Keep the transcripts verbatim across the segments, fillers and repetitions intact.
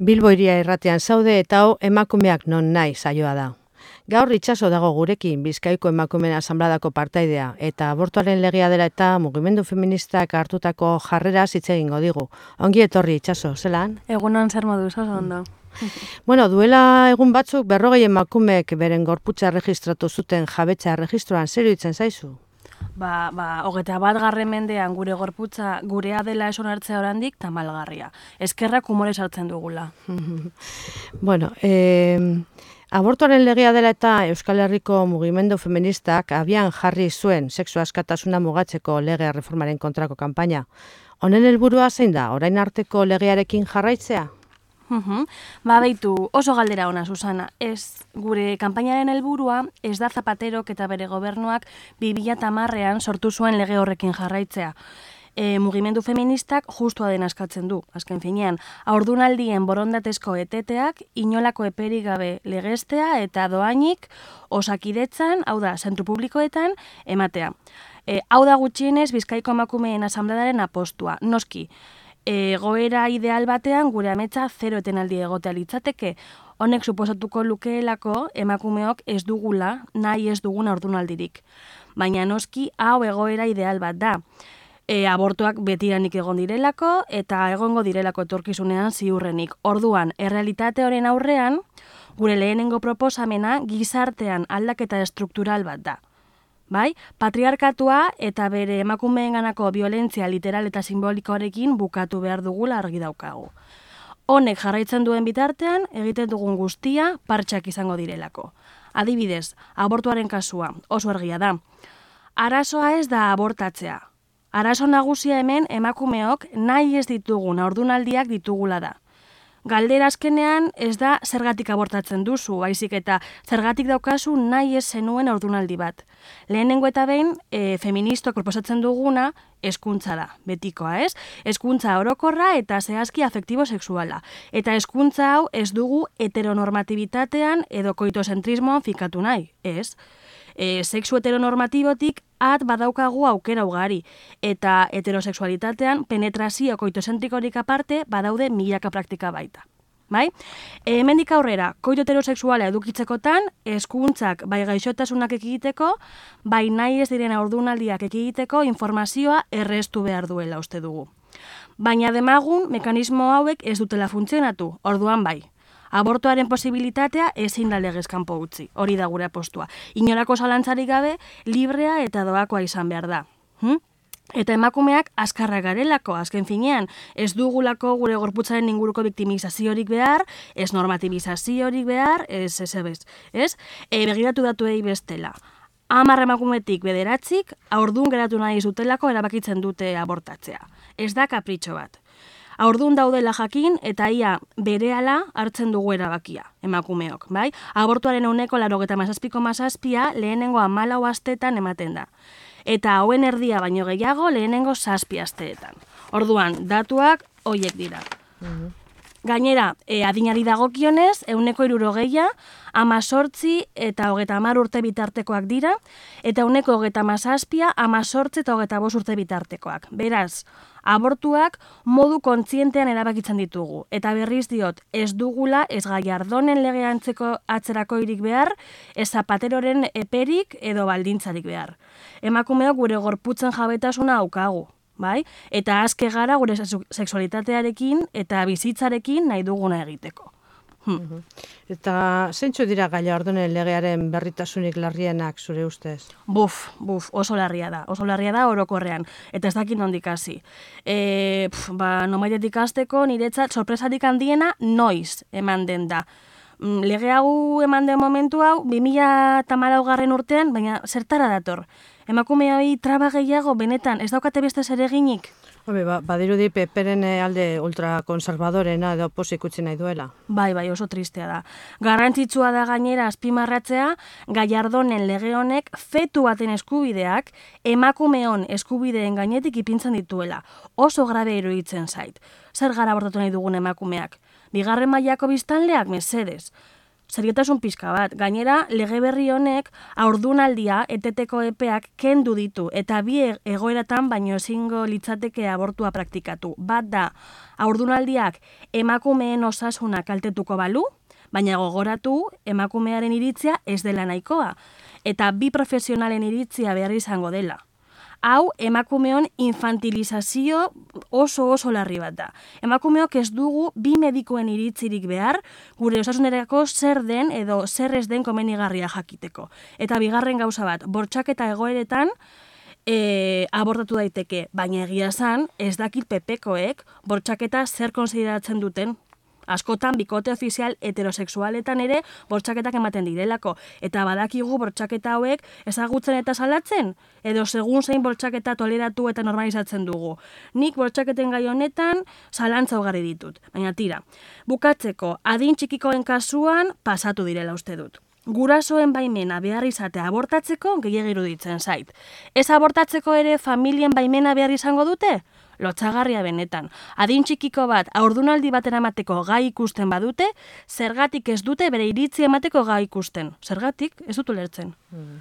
Bilbo Hiria Irratian zaude eta hau emakumeak non nahi saioa da. Gaur Itxaso dago gurekin, Bizkaiko Emakumeen Asanbladako partaidea, eta abortuaren legea dela eta mugimendu feministak hartutako jarrera hitz egingo digu. Ongi etorri Itxaso, zelan? Egunon zer moduz, oso ondo. Bueno, duela egun batzuk berrogei emakumeek beren gorputza erregistratu zuten jabetza erregistroan, zer iruditzen zaizu? Ba, ba, hogeta bat garren mendean gure gorputza gurea dela eson hartzea orandik tamalgarria. Eskerrak humore sartzen dugula. Bueno, eh, abortuaren legea dela eta Euskal Herriko mugimendu feministak abian jarri zuen sexu askatasuna mugatzeko lege reformaren kontrako kanpaina. Honen helburua zein da, orain arteko legearekin jarraitzea? Uhum. Ba, beitu, oso galdera ona, Susana. Ez, gure kanpainaren helburua ez da Zapaterok eta bere gobernuak bi mila hamarrean sortu zuen lege horrekin jarraitzea. E, mugimendu feministak justua den askatzen du, azken finean, haurdunaldien borondatezko eteteak inolako eperik gabe legestea eta doainik osakidetzan, hau da, zentru publikoetan, ematea. E, hau da gutxienez Bizkaiko Emakumeen Asanbladaren apostua, noski. Egoera ideal batean gure ametsa zero etenaldi egotea litzateke. Honek suposatuko lukeelako emakumeok ez dugula, nahi ez dugun haurdunaldirik. Baina noski hau egoera ideal bat da. E, abortuak betiranik egon direlako eta egongo direlako etorkizunean ziurrenik. Orduan, errealitate horren aurrean, gure lehenengo proposamena gizartean aldaketa estruktural bat da. Bai, patriarkatua eta bere emakumeenganako violentzia literal eta simbolikoarekin bukatu behar dugula argi daukagu. Honek jarraitzen duen bitartean, egiten dugun guztia partxak izango direlako. Adibidez, abortuaren kasua, oso argia da. Arazoa ez da abortatzea. Arazo nagusia hemen emakumeok nahi ez ditugun haurdunaldiak ditugula da. Galdera azkenean ez da zergatik abortatzen duzu, baizik eta zergatik daukazu nahi ez zenuen haurdunaldi bat. Lehenengo eta behin, e, feministok proposatzen duguna hezkuntza da, betikoa, ez? Hezkuntza orokorra eta zehazki afektibo-sexuala. Eta hezkuntza hau ez dugu heteronormatibitatean edo koitozentrismoan fikatu nahi, ez? E, sexu heteronormatibotik at badaukagu aukera ugari, eta heterosexualitatean penetrazio koitozentrikorik aparte badaude milaka praktika baita. Bai? E, hemendik aurrera, koito heterosexuala edukitzekotan, hezkuntzak bai gaixotasunak ekiditeko, bai nahi ez diren haurdunaldiak ekiditeko informazioa erreztu behar duela uste dugu. Baina demagun, mekanismo hauek ez dutela funtzionatu, orduan bai. Abortuaren posibilitatea ezin da legez kanpo utzi, hori da gure apostua. Inolako zalantzarik gabe, librea eta doakoa izan behar da. Hm? Eta emakumeak azkarra garelako, azken finean, ez dugulako gure gorputzaren inguruko biktimizaziorik behar, ez normatibizaziorik behar, ez ez ez, ez? E, begiratu datuei bestela. Hamar emakumetik bederatzik, haurdun geratu nahi zutelako erabakitzen dute abortatzea. Ez da kapritxo bat. Haurdun daudela jakin eta ia berehala hartzen dugu erabakia, emakumeok, bai? Abortuaren ehuneko laurogeita hamazazpiko mazazpia lehenengo hamalau asteetan ematen da. Eta hauen erdia baino gehiago lehenengo zazpi asteetan. Orduan, datuak hoiek dira. Mm-hmm. Gainera, e, adinari dagokionez, ehuneko hirurogeia, hamazortzi eta hogeita hamar urte bitartekoak dira, eta ehuneko hogeita hamazazpia, hamazortzi eta hogeita bost urte bitartekoak. Beraz, abortuak modu kontzientean erabakitzen ditugu. Eta berriz diot, ez dugula, ez Gallardonen legea antzeko atzerako irik behar, ez Zapateroren eperik edo baldintzarik behar. Emakumeok gure gorputzen jabetasuna daukagu. Bai? Eta azke gara gure sexualitatearekin eta bizitzarekin nahi duguna egiteko. Hm. Eta zeintzu dira Gallardonen legearen berritasunik larrienak zure ustez? Buf, buf, oso larria da, oso larria da orokorrean, eta ez dakit nondik hasi. E, pf, ba, nomaitetik hasteko niretzat sorpresarik handiena noiz eman den da. Lege hau eman den momentu hau, bi mila hamalau garren urtean, baina zertara dator? Emakume hori traba gehiago benetan, ez daukate beste zereginik? Hobe, ba, badirudi peperen alde ultrakonservadorena edo pozik utzi nahi duela. Bai, bai, oso tristea da. Garrantzitsua da gainera azpimarratzea, Gallardonen lege honek fetu baten eskubideak emakumeon eskubideen gainetik ipintzen dituela. Oso grabe iruditzen zait. Zer gara abortatu nahi dugun emakumeak? Bigarren mailako biztanleak mesedez. seriotasun pixka bat. Gainera, lege berri honek haurdunaldia eteteko epeak kendu ditu eta bi egoeratan baino ezingo litzateke abortua praktikatu. Bat da, haurdunaldiak emakumeen osasuna kaltetuko balu, baina gogoratu emakumearen iritzia ez dela nahikoa eta bi profesionalen iritzia behar izango dela. Hau, emakumeon infantilizazio oso oso larri bat da. Emakumeok ez dugu bi medikuen iritzirik behar, gure osasunerako zer den edo zer ez den komenigarria jakiteko. Eta bigarren gauza bat, bortxaketa egoeretan e, abortatu daiteke, baina egia esan, ez dakit pepekoek bortxaketa zer konsideratzen duten. Askotan, bikote ofizial heterosexualetan ere bortxaketak ematen direlako. Eta badakigu bortxaketa hauek ezagutzen eta salatzen, edo segun zein bortxaketa toleratu eta normalizatzen dugu. Nik bortxaketen gai honetan zalantza ugari ditut. Baina tira, bukatzeko, adin txikikoen kasuan pasatu direla uste dut. Gurasoen baimena behar izatea abortatzeko gehiago iruditzen zait. Ez abortatzeko ere familien baimena behar izango dute? Lotsagarria benetan. Adin txikiko bat haurdunaldi batera emateko gai ikusten badute, zergatik ez dute bere iritzi emateko gai ikusten. Zergatik ez dut ulertzen. Mm.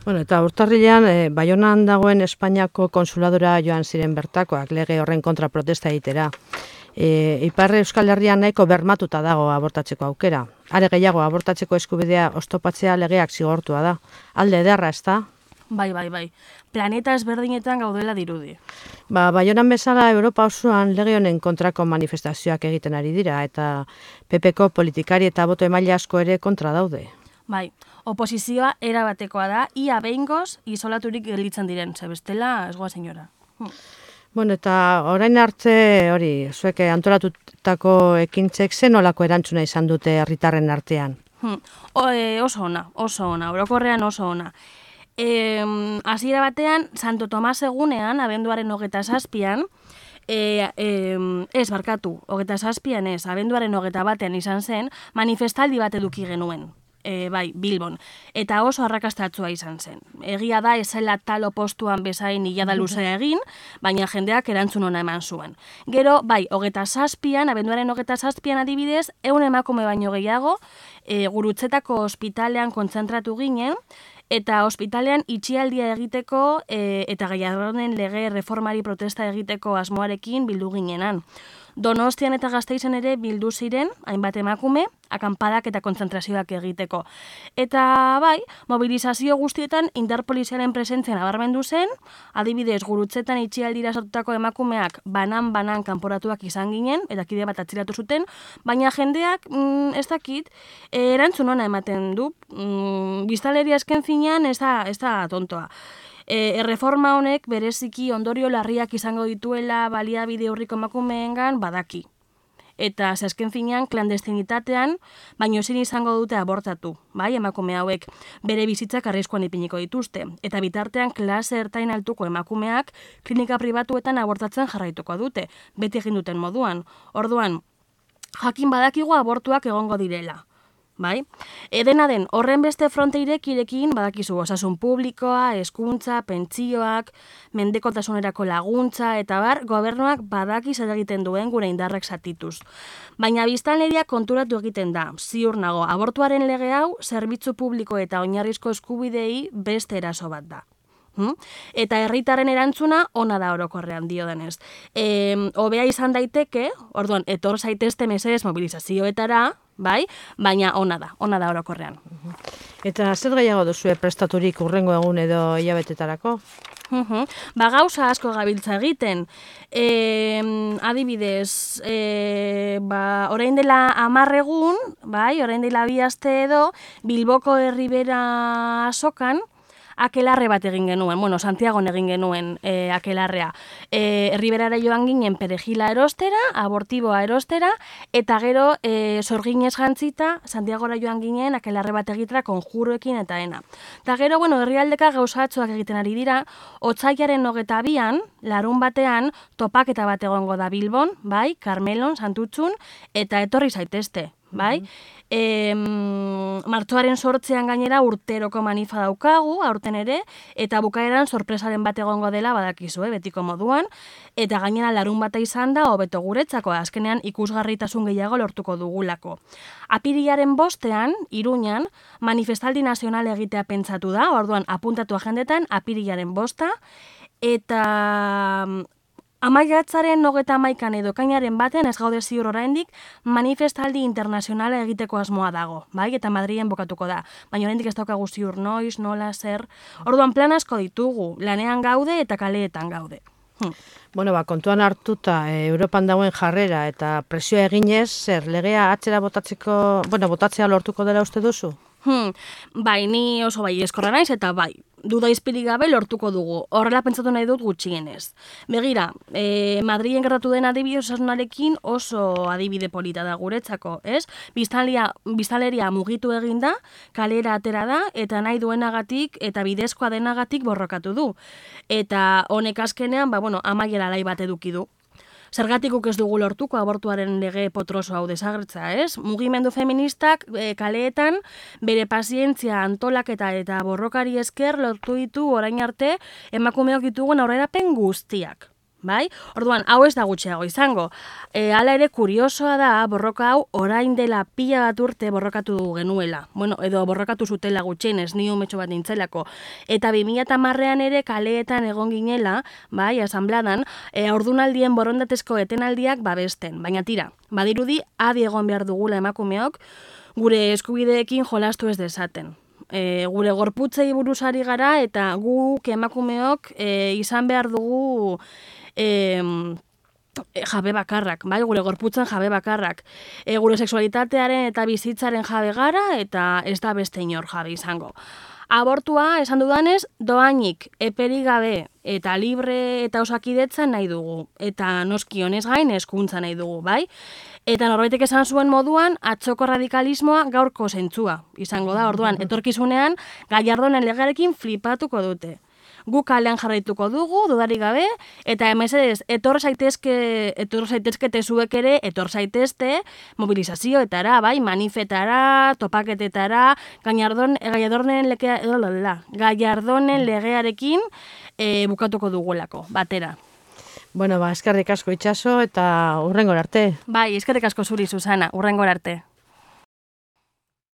Bueno, eta urtarrilean, e, Baionan dagoen Espainiako konsuladora joan ziren bertakoak lege horren kontra protesta egitera. E, Ipar Euskal Herrian nahiko bermatuta dago abortatzeko aukera. Are gehiago, abortatzeko eskubidea oztopatzea legeak zigortua da. Alde ederra, ez da? Bai, bai, bai. Planeta ezberdinetan gaudela dirudi. Ba, Baionan bezala Europa osoan lege honen kontrako manifestazioak egiten ari dira eta P Pko politikari eta boto emaile asko ere kontra daude. Bai, oposizioa erabatekoa da, ia behingoz isolaturik gelditzen diren, ze bestela ez goa senyora. Hm. Bueno, eta orain arte, hori, zuek antolatutako ekintzek zen olako erantzuna izan dute herritarren artean? Hm. O, e, oso ona, oso ona, orokorrean oso ona. E, hasiera batean, Santo Tomas egunean, abenduaren hogeta zazpian, e, e, ez barkatu, hogeta zazpian ez, abenduaren hogeta batean izan zen, manifestaldi bat eduki genuen. E, bai, Bilbon, eta oso arrakastatsua izan zen. Egia da ezela talo postuan bezain hilada luzea egin, baina jendeak erantzun ona eman zuen. Gero, bai, hogeta zazpian, abenduaren hogeta zazpian adibidez, ehun emakume baino gehiago, e, Gurutzetako ospitalean kontzentratu ginen, eta ospitalean itxialdia egiteko e, eta Gallardonen lege reformari protesta egiteko asmoarekin bildu ginenan. Donostian eta Gasteizen ere bildu ziren, hainbat emakume, akanpadak eta kontzentrazioak egiteko. Eta bai, mobilizazio guztietan interpolizialen presentzian abarmendu zen, adibidez Gurutzetan itxialdira sortutako emakumeak banan-banan kanporatuak izan ginen, eta kide bat atziratu zuten, baina jendeak, mm, ez dakit, erantzun ona ematen du, mm, biztanleria esken finean ez da, ez da tontoa. E, erreforma honek bereziki ondorio larriak izango dituela baliabide urriko emakumeengan badaki. Eta zazken finean klandestinitatean, baino ezin izango dute abortatu, bai, emakume hauek bere bizitzak arriskuan ipiniko dituzte. Eta bitartean klase ertain altuko emakumeak klinika pribatuetan abortatzen jarraituko dute, beti egin duten moduan. Orduan, jakin badakigu abortuak egongo direla. Bai? Edena den, horren beste fronte irekirekin badakizu osasun publikoa, hezkuntza, pentsioak, mendekotasunerako laguntza, eta bar, gobernuak badaki zer egiten duen gure indarrak zatituz. Baina biztanleria konturatu egiten da, ziur nago, abortuaren lege hau, zerbitzu publiko eta oinarrizko eskubidei beste eraso bat da. Hmm? Eta herritarren erantzuna ona da orokorrean dio denez. E, Hobea izan daiteke, orduan, etor zaitezte mesedez mobilizazioetara, bai, baina ona da, ona da orokorrean. Eta zer gehiago duzue prestaturik urrengo egun edo hilabetetarako? Uhum. Ba, gauza asko gabiltza egiten. E, adibidez, e, ba, orain dela hamar egun, bai, orain dela bi aste edo, Bilboko Herribera azokan, akelarre bat egin genuen, bueno, Santiagon egin genuen e, akelarrea. E, Herriberara joan ginen perejila erostera, abortiboa erostera, eta gero e, sorginez jantzita, Santiagora joan ginen akelarre bat egitera konjuroekin eta ena. Eta gero, bueno, herrialdeka gauzatzuak egiten ari dira, otsailaren hogeta bian, larun batean, topaketa bat egongo da Bilbon, bai, Karmelon, Santutxun, eta etorri zaitezte. bai? E, martxoaren sortzean gainera urteroko manifa daukagu, aurten ere, eta bukaeran sorpresaren bat egongo dela badakizue, betiko moduan, eta gainera larun bata izan da, hobeto guretzako, azkenean ikusgarritasun gehiago lortuko dugulako. Apirilaren bostean, Iruñan, manifestaldi nazional egitea pentsatu da, orduan apuntatu agendetan, apirilaren bosta, eta amaiatzaren nogeta amaikan edo kainaren batean ez gaude ziur oraindik manifestaldi internazionala egiteko asmoa dago, bai? Eta Madrilen bokatuko da. Baina oraindik ez daukagu ziur noiz, nola, zer. Orduan plan asko ditugu, lanean gaude eta kaleetan gaude. Hm. Bueno, ba, kontuan hartuta, e, Europan dagoen jarrera eta presioa eginez, zer, legea atzera botatzeko, bueno, botatzea lortuko dela uste duzu? Hmm, bai, ni oso bai eskorra naiz eta bai, duda izpirik gabe lortuko dugu. Horrela pentsatu nahi dut gutxienez. Begira, e, Madrilen gertatu den adibide osasunarekin oso adibide polita da guretzako, ez? Biztanleria, biztanleria mugitu egin da, kalera atera da, eta nahi duenagatik eta bidezkoa denagatik borrokatu du. Eta honek azkenean, ba, bueno, amaiera lai bat eduki du. Zergatikuk ez dugu lortuko abortuaren lege potroso hau desagertza, ez? Mugimendu feministak e, kaleetan bere pazientzia antolaketa eta borrokari esker lortu ditu orain arte emakumeok ditugun aurrerapen guztiak. Bai? Orduan, hau ez da gutxiago izango. E, hala ere, kuriosoa da, borroka hau orain dela pila bat urte borrokatu genuela. Bueno, edo borrokatu zutela gutxienez, ni umetxo bat nintzelako. Eta bi mila hamarrean ere kaleetan egon ginela, bai, asanbladan, e, ordunaldien borondatezko etenaldiak babesten. Baina tira, badirudi, adi egon behar dugula emakumeok, gure eskubideekin jolastu ez dezaten. E, gure gorputzei buruzari gara eta guk emakumeok e, izan behar dugu E, jabe bakarrak, bai, gure gorputzen jabe bakarrak. E, gure sexualitatearen eta bizitzaren jabe gara eta ez da beste inor jabe izango. Abortua, esan dudanez, doainik, eperik gabe eta libre eta osakidetzan nahi dugu. Eta noski honez gain hezkuntza nahi dugu, bai? Eta norbaitek esan zuen moduan, atzoko radikalismoa gaurko zentzua izango da, orduan, etorkizunean, Gallardonen legearekin flipatuko dute. Guk kalean jarraituko dugu, dudarik gabe, eta mesedez, etor zaitezke, etor zaitezkete zuek ere, etor zaitezte mobilizazioetara, bai, manifetara, topaketetara, Gallardon, Gallardonen legea, Gallardonen legearekin e, bukatuko dugulako, batera. Bueno, ba, eskerrik asko Itxaso eta hurrengora arte. Bai, eskerrik asko zuri, Susana, hurrengora arte.